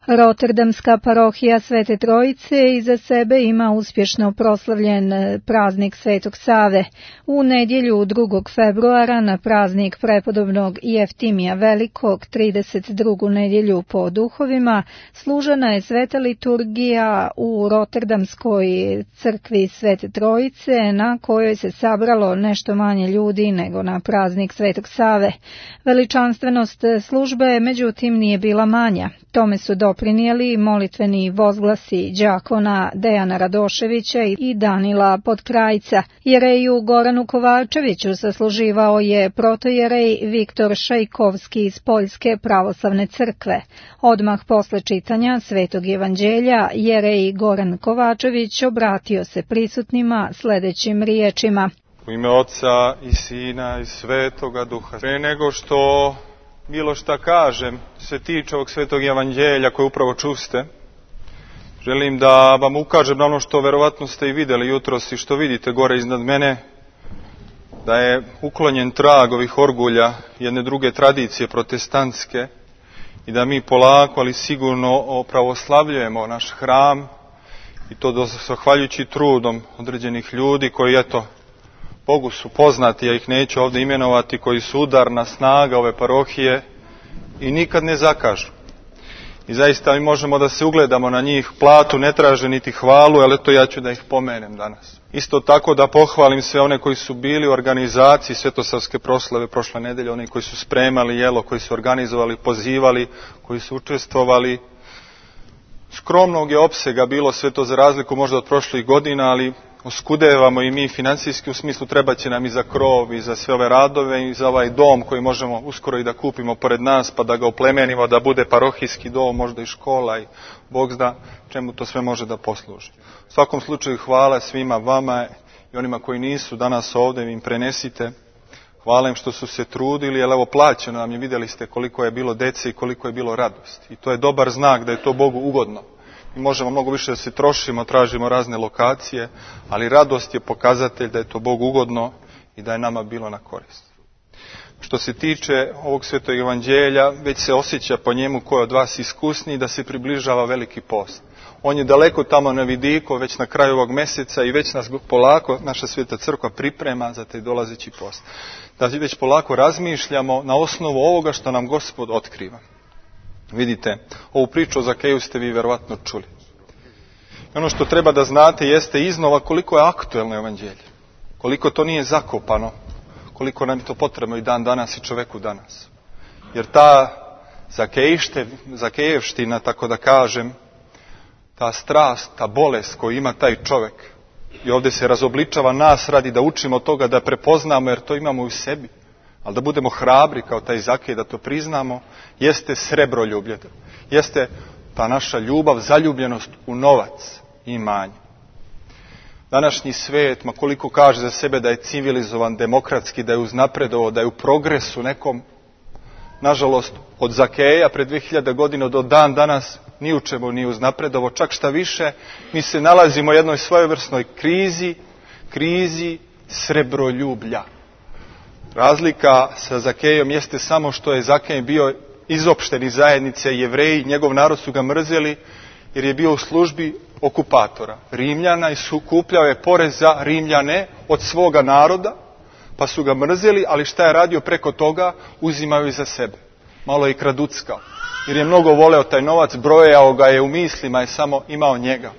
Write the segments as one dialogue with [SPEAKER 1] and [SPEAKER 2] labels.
[SPEAKER 1] Roterdamska parohija Svete Trojice iza sebe ima uspješno proslavljen praznik Svetog Save. U nedjelju 2. februara na praznik prepodobnog Jeftimija Velikog, 32. nedjelju po duhovima, služena je sveta liturgija u Roterdamskoj crkvi Svete Trojice, na kojoj se sabralo nešto manje ljudi nego na praznik Svetog Save. Veličanstvenost službe, međutim, nije bila manja. Tome su doprinijeli molitveni vozglasi đakona Dejana Radoševića i Danila Podkrajca. Jereju Goranu Kovačeviću sasluživao je protojerej Viktor Šajkovski iz Poljske pravoslavne crkve. Odmah posle čitanja Svetog evanđelja, jerej Goran Kovačević obratio se prisutnima sljedećim riječima.
[SPEAKER 2] U ime Oca i Sina i Svetoga Duha. Pre nego što bilo šta kažem se tiče ovog Svetog evanđelja koje upravo čuste, želim da vam ukažem na ono što verovatno ste i vidjeli jutros i što vidite gore iznad mene, da je uklonjen trag ovih orgulja jedne druge tradicije protestantske i da mi polako, ali sigurno opravoslavljujemo naš hram i to zahvaljujući trudom određenih ljudi koji, eto, Bogu su poznati, ja ih neću ovdje imenovati, koji su udarna snaga ove parohije i nikad ne zakažu. I zaista mi možemo da se ugledamo na njih, platu ne traže niti hvalu, ali eto ja ću da ih pomenem danas. Isto tako da pohvalim sve one koji su bili u organizaciji svetosavske proslave prošle nedelje, oni koji su spremali jelo, koji su organizovali, pozivali, koji su učestvovali. Skromnog je opsega bilo sve to za razliku možda od prošlih godina, ali oskudevamo i mi financijski, u smislu treba će nam i za krov i za sve ove radove i za ovaj dom koji možemo uskoro i da kupimo pored nas pa da ga oplemenimo, da bude parohijski dom, možda i škola i Bog zna čemu to sve može da posluži. U svakom slučaju hvala svima vama i onima koji nisu danas ovdje, im prenesite. Hvala im što su se trudili, jer evo plaćeno nam je, vidjeli ste koliko je bilo dece i koliko je bilo radosti. I to je dobar znak da je to Bogu ugodno. Mi možemo mnogo više da se trošimo, tražimo razne lokacije, ali radost je pokazatelj da je to Bogu ugodno i da je nama bilo na korist. Što se tiče ovog Svetog evanđelja, već se osjeća po njemu ko je od vas iskusniji da se približava veliki post. On je daleko tamo na vidiku, već na kraju ovog mjeseca i već nas polako naša Sveta crkva priprema za taj dolazeći post. Da već polako razmišljamo na osnovu ovoga što nam Gospod otkriva. Vidite, ovu priču o Zakeju ste vi verovatno čuli. I ono što treba da znate jeste iznova koliko je aktuelno evanđelje. Koliko to nije zakopano. Koliko nam je to potrebno i dan danas i čoveku danas. Jer ta Zakejevština, tako da kažem, ta strast, ta bolest koju ima taj čovjek, i ovdje se razobličava nas radi da učimo toga, da prepoznamo, jer to imamo u sebi. Ali da budemo hrabri kao taj Zakej, da to priznamo, jeste srebroljublje. Jeste ta naša ljubav, zaljubljenost u novac i imanje. Današnji svijet, ma koliko kaže za sebe da je civilizovan, demokratski, da je uznapredovao, da je u progresu nekom, nažalost, od Zakeja pred 2000 godina do dan danas ni u čemu nije uznapredovao. Čak šta više, mi se nalazimo u jednoj svojevrsnoj krizi srebroljublja. Razlika sa Zakejom jeste samo što je Zakej bio izopšten iz zajednice, Jevreji, njegov narod su ga mrzeli jer je bio u službi okupatora Rimljana i skupljao je porez za Rimljane od svoga naroda, pa su ga mrzeli, ali šta je radio preko toga, uzimaju i za sebe. Malo je i kraduckao, jer je mnogo voleo taj novac, brojao ga je u mislima, je samo imao njega.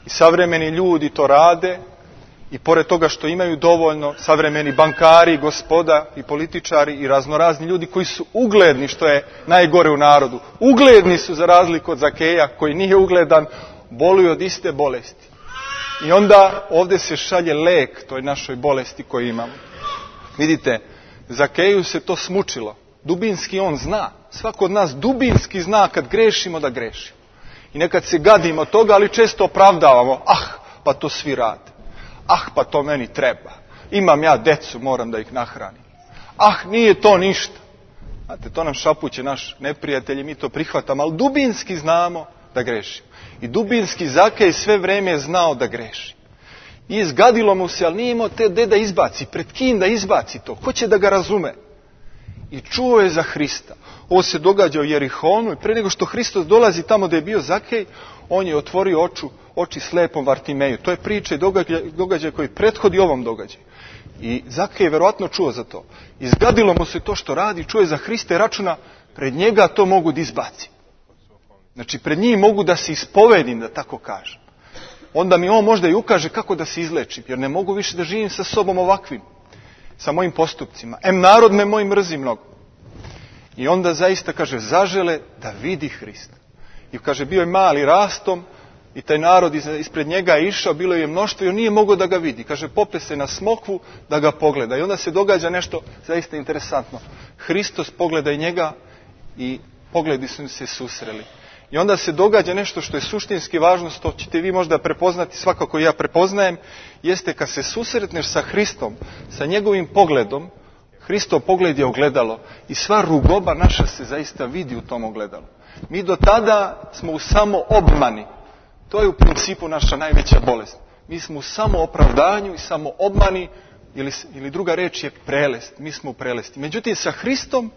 [SPEAKER 2] I savremeni ljudi to rade, i pored toga što imaju dovoljno, savremeni bankari, gospoda i političari i raznorazni ljudi koji su ugledni, što je najgore u narodu. Ugledni su za razliku od Zakeja koji nije ugledan, boluju od iste bolesti. I onda ovdje se šalje lek toj našoj bolesti koju imamo. Vidite, Zakeju se to smučilo. Dubinski on zna. Svako od nas dubinski zna kad grešimo da grešimo. I nekad se gadimo toga, ali često opravdavamo. Pa to svi rade. Pa to meni treba. Imam ja decu, moram da ih nahranim. Nije to ništa. Znate, to nam šapuće naš neprijatelj i mi to prihvatamo, ali dubinski znamo da grešimo. I dubinski Zakej sve vrijeme je znao da greši. I izgadilo mu se, ali nije imao te da izbaci, pred kim da izbaci to, ko će da ga razume. i čuo je za Hrista. Ovo se događa u Jerihonu i pre nego što Hristos dolazi tamo gdje je bio Zakej, on je otvorio oči slepom Vartimeju. To je priča i događaj koji prethodi ovom događaju. I Zakej je verovatno čuo za to. Izgadilo mu se to što radi, čuje za Hrista i računa, pred njega to mogu da izbacim. Znači, pred njim mogu da se ispovedim, da tako kažem. Onda mi on možda i ukaže kako da se izlečim, jer ne mogu više da živim sa sobom ovakvim, sa mojim postupcima. Narod me moj mrzi mnogo. I onda zaista, kaže, zažele da vidi Hrista. I kaže, bio je mali rastom i taj narod ispred njega je išao, bilo je mnoštvo i on nije mogao da ga vidi. Kaže, pope se na smokvu da ga pogleda. I onda se događa nešto zaista interesantno. Hristos pogleda i njega i pogledi su se susreli. I onda se događa nešto što je suštinski važno, što ćete vi možda prepoznati, svakako ja prepoznajem, jeste kad se susretneš sa Hristom, sa njegovim pogledom, Hristov pogled je ogledalo i sva rugoba naša se zaista vidi u tom ogledalu. Mi do tada smo u samoobmani. To je u principu naša najveća bolest. Mi smo u samoopravdanju i samoobmani, ili druga reč je prelest. Mi smo u prelesti. Međutim, sa Hristom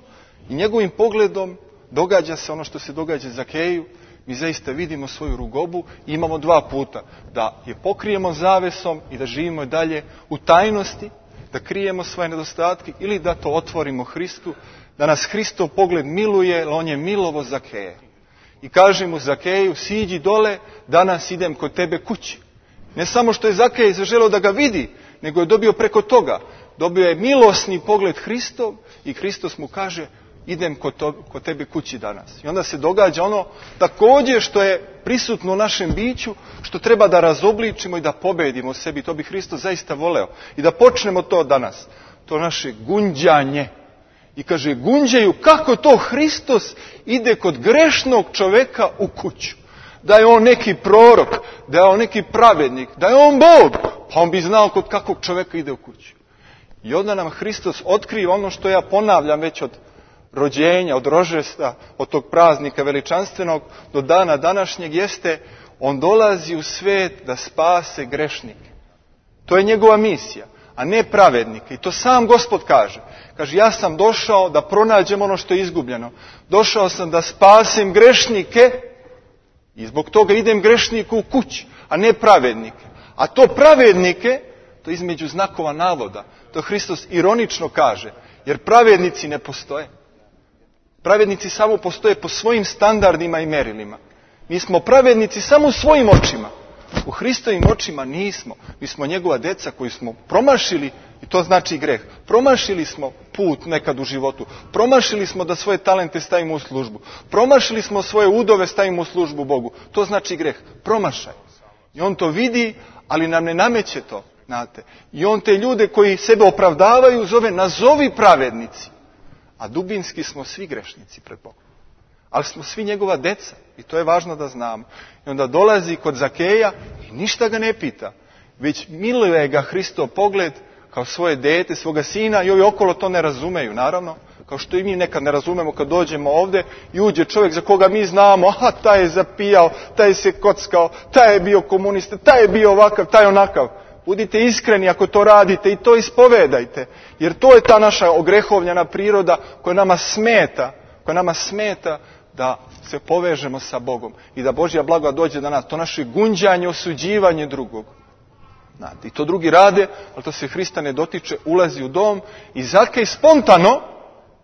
[SPEAKER 2] i njegovim pogledom događa se ono što se događa Zakeju. Mi zaista vidimo svoju rugobu i imamo dva puta. Da je pokrijemo zavesom i da živimo dalje u tajnosti, da krijemo svoje nedostatke ili da to otvorimo Hristu, da nas Hristov pogled miluje, jer on je milovo Zakeja. I kaže mu Zakeju, siđi dole, danas idem kod tebe kući. Ne samo što je Zakej zaželeo da ga vidi, nego je dobio preko toga. Dobio je milosni pogled Hristov i Hristos mu kaže, idem kod tebe kući danas. I onda se događa ono također što je prisutno u našem biću, što treba da razobličimo i da pobedimo u sebi. To bi Hristos zaista voleo. I da počnemo to danas. To naše gunđanje. I kaže, gunđaju kako to Hristos ide kod grešnog čoveka u kuću. Da je on neki prorok, da je on neki pravednik, da je on Bog. Pa on bi znao kod kakvog čoveka ide u kuću. I onda nam Hristos otkriva ono što ja ponavljam već od rođenja, od rođenja, od tog praznika veličanstvenog do dana današnjeg, jeste on dolazi u svet da spase grešnike. To je njegova misija, a ne pravednike. I to sam Gospod kaže. Kaže, ja sam došao da pronađem ono što je izgubljeno. Došao sam da spasem grešnike i zbog toga idem grešniku u kući, a ne pravednike. A to pravednike, to između znakova navoda, to Hristos ironično kaže, jer pravednici ne postoje. Pravednici samo postoje po svojim standardima i merilima. Mi smo pravednici samo u svojim očima. U Hristovim očima nismo. Mi smo njegova deca koji smo promašili, i to znači greh. Promašili smo put nekad u životu. Promašili smo da svoje talente stavimo u službu. Promašili smo svoje udove stavimo u službu Bogu. To znači greh. Promašaj. I on to vidi, ali nam ne nameće to. Znate. I on te ljude koji sebe opravdavaju zove nazovi pravednici. A dubinski smo svi grešnici pred Bogom. Ali smo svi njegova deca. I to je važno da znamo. I onda dolazi kod Zakeja i ništa ga ne pita. Već miluje ga Hristov pogled kao svoje dete, svoga sina. I ovi okolo to ne razumeju, naravno. Kao što i mi nekad ne razumemo kad dođemo ovdje i uđe čovjek za koga mi znamo. Aha, taj je zapijao, taj je se kockao, taj je bio komunista, taj je bio ovakav, taj onakav. Budite iskreni ako to radite i to ispovedajte. Jer to je ta naša ogrehovljena priroda koja nama smeta da se povežemo sa Bogom i da Božja blagodat dođe do nas. To naše gunđanje, osuđivanje drugog. Znate, i to drugi rade, ali to se Hrista ne dotiče, ulazi u dom i Zakej spontano,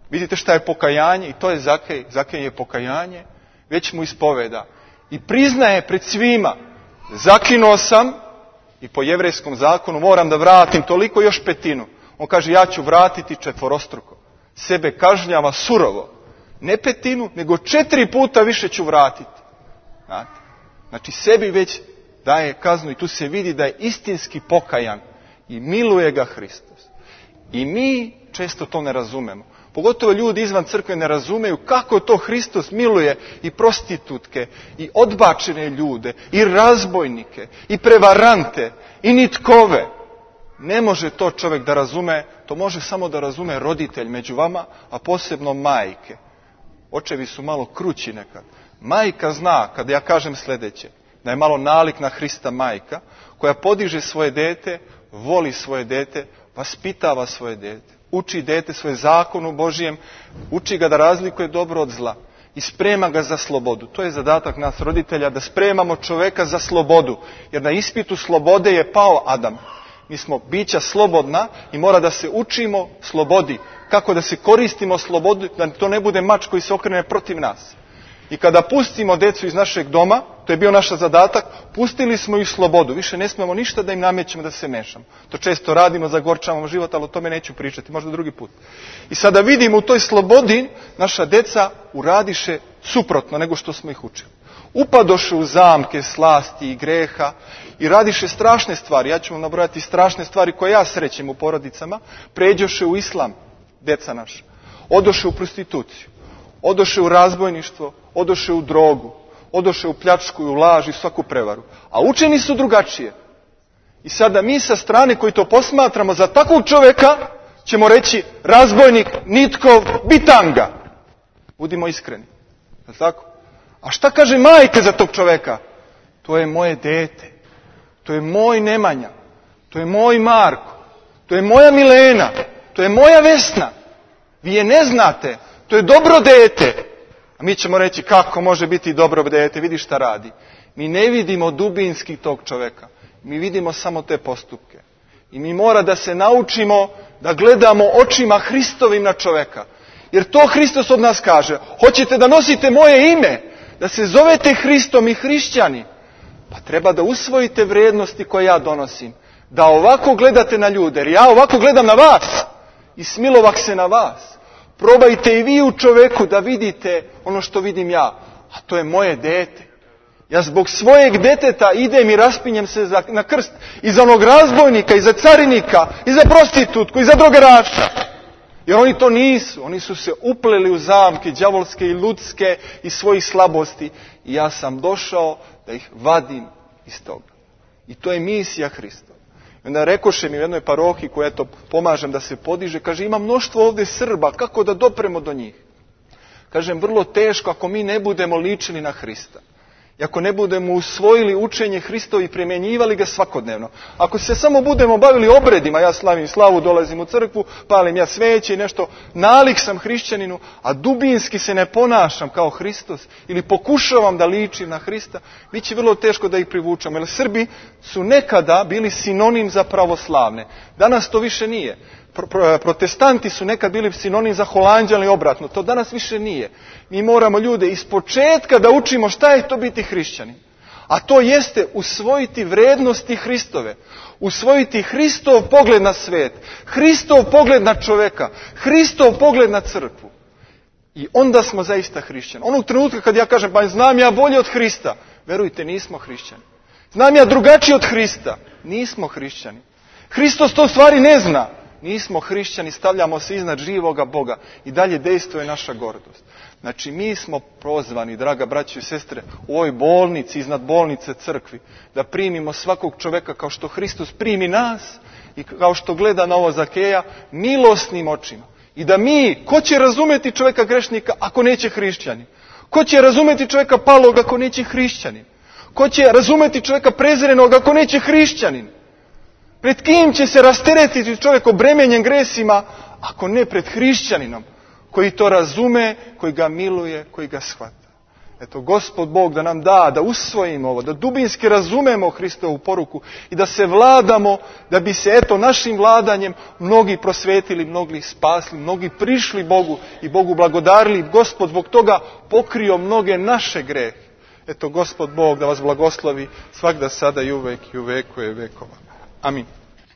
[SPEAKER 2] vidite šta je pokajanje, i to je Zakej. Zakej je pokajanje, već mu ispoveda. I priznaje pred svima, zakinuo sam i po jevrejskom zakonu moram da vratim toliko, još petinu. On kaže, ja ću vratiti četvorostruko. Sebe kažnjava surovo. Ne petinu, nego 4 puta više ću vratiti. Znate? Znači sebi već daje kaznu i tu se vidi da je istinski pokajan i miluje ga Hristos. I mi često to ne razumemo. Pogotovo ljudi izvan crkve ne razumeju kako to Hristos miluje i prostitutke, i odbačene ljude, i razbojnike, i prevarante, i nitkove. Ne može to čovjek da razume, to može samo da razume roditelj među vama, a posebno majke. Očevi su malo krući nekad. Majka zna, kada ja kažem sljedeće, da je malo nalik na Hrista majka, koja podiže svoje dete, voli svoje dete, vaspitava svoje dete. uči dete svoje zakonu Božijem, uči ga da razlikuje dobro od zla i sprema ga za slobodu. To je zadatak nas roditelja, da spremamo čoveka za slobodu, jer na ispitu slobode je pao Adam. Mi smo bića slobodna i mora da se učimo slobodi. Kako da se koristimo slobodu, da to ne bude mač koji se okrene protiv nas. I kada pustimo decu iz našeg doma, to je bio naš zadatak, pustili smo ih slobodu. Više ne smemo ništa da im namećemo, da se mešamo. To često radimo, zagorčavamo život, ali o tome neću pričati, možda drugi put. I sada vidimo u toj slobodi, naša deca uradiše suprotno nego što smo ih učili. Upadoše u zamke slasti i greha i radiše strašne stvari. Ja ću vam nabrojati strašne stvari koje ja srećem u porodicama. Pređoše u islam, deca naša. Odoše u prostituciju. Odoše u razbojništvo, odoše u drogu, odoše u pljačku i u laž i svaku prevaru. A učeni su drugačije. I sada mi sa strane koji to posmatramo za takvog čoveka ćemo reći razbojnik, nitkov, bitanga. Budimo iskreni. Je li tako? A šta kaže majka za tog čoveka? To je moje dete. To je moj Nemanja. To je moj Marko. To je moja Milena. To je moja Vesna. Vi je ne znate. To je dobro dete. A mi ćemo reći kako može biti dobro dete, vidi šta radi. Mi ne vidimo dubinski tog čoveka. Mi vidimo samo te postupke. I mi mora da se naučimo da gledamo očima Hristovim na čoveka. Jer to Hristos od nas kaže. Hoćete da nosite moje ime, da se zovete Hristom i hrišćani, pa treba da usvojite vrijednosti koje ja donosim. Da ovako gledate na ljude, jer ja ovako gledam na vas i smilovak se na vas. Probajte i vi u čoveku da vidite ono što vidim ja. A to je moje dete. Ja zbog svojeg deteta idem i raspinjem se na krst. I za onog razbojnika, i za carinika, i za prostitutku, i za drogeraša. Jer oni to nisu. Oni su se upleli u zamke đavolske i ljudske i svojih slabosti. I ja sam došao da ih vadim iz toga. I to je misija Hrista. I onda rekoše mi u jednoj parohiji koja to pomažem da se podiže, kaže ima mnoštvo ovdje Srba, kako da dopremo do njih? Kažem, vrlo teško ako mi ne budemo ličili na Hrista. I ako ne budemo usvojili učenje Hristovo i primjenjivali ga svakodnevno. Ako se samo budemo bavili obredima, ja slavim slavu, dolazim u crkvu, palim ja sveće i nešto, nalik sam hrišćaninu, a dubinski se ne ponašam kao Hristos ili pokušavam da ličim na Hrista, bit će vrlo teško da ih privučamo. Jer Srbi su nekada bili sinonim za pravoslavne. Danas to više nije. Protestanti su nekad bili sinonim za Holanđane i obratno. To danas više nije. Mi moramo ljude iz početka da učimo šta je to biti hrišćanin. A to jeste usvojiti vrednosti Hristove. Usvojiti Hristov pogled na svet. Hristov pogled na čoveka. Hristov pogled na crkvu. I onda smo zaista hrišćani. Onog trenutka kad ja kažem, pa znam ja bolje od Hrista. Verujte, nismo hrišćani. Znam ja drugačije od Hrista. Nismo hrišćani. Hristos to stvari ne zna. Nismo hrišćani, stavljamo se iznad živoga Boga i dalje dejstvuje naša gordost. Znači mi smo prozvani, draga braćo i sestre, u ovoj bolnici, iznad bolnice crkvi, da primimo svakog čoveka kao što Hristos primi nas i kao što gleda na ovo Zakeja, milosnim očima. I da mi, ko će razumeti čoveka grešnika ako neće hrišćani? Ko će razumeti čoveka palog ako neće hrišćanin? Ko će razumeti čoveka prezrenog ako neće hrišćanin? Pred kim će se rasteretiti čovjek obremenjen gresima, ako ne pred hrišćaninom, koji to razume, koji ga miluje, koji ga shvata. Eto, Gospod Bog da nam da usvojimo ovo, da dubinski razumemo Hristovu poruku i da se vladamo, da bi se našim vladanjem mnogi prosvetili, mnogi spasli, mnogi prišli Bogu i Bogu blagodarili. Gospod zbog toga pokrio mnoge naše grehe. Eto, Gospod Bog da vas blagoslovi svagda, sada i uvek i u veku je vekova. Amin.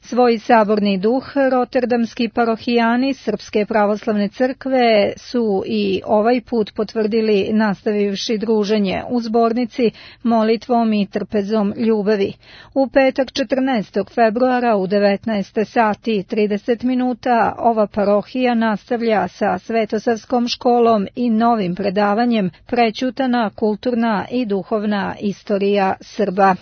[SPEAKER 1] Svoj saborni duh roterdamski parohijani Srpske pravoslavne crkve su i ovaj put potvrdili nastavivši druženje u zbornici molitvom i trpezom ljubavi. U petak 14. februara u 19 sati i 30 minuta ova parohija nastavlja sa Svetosavskom školom i novim predavanjem Prećutana kulturna i duhovna istorija Srba.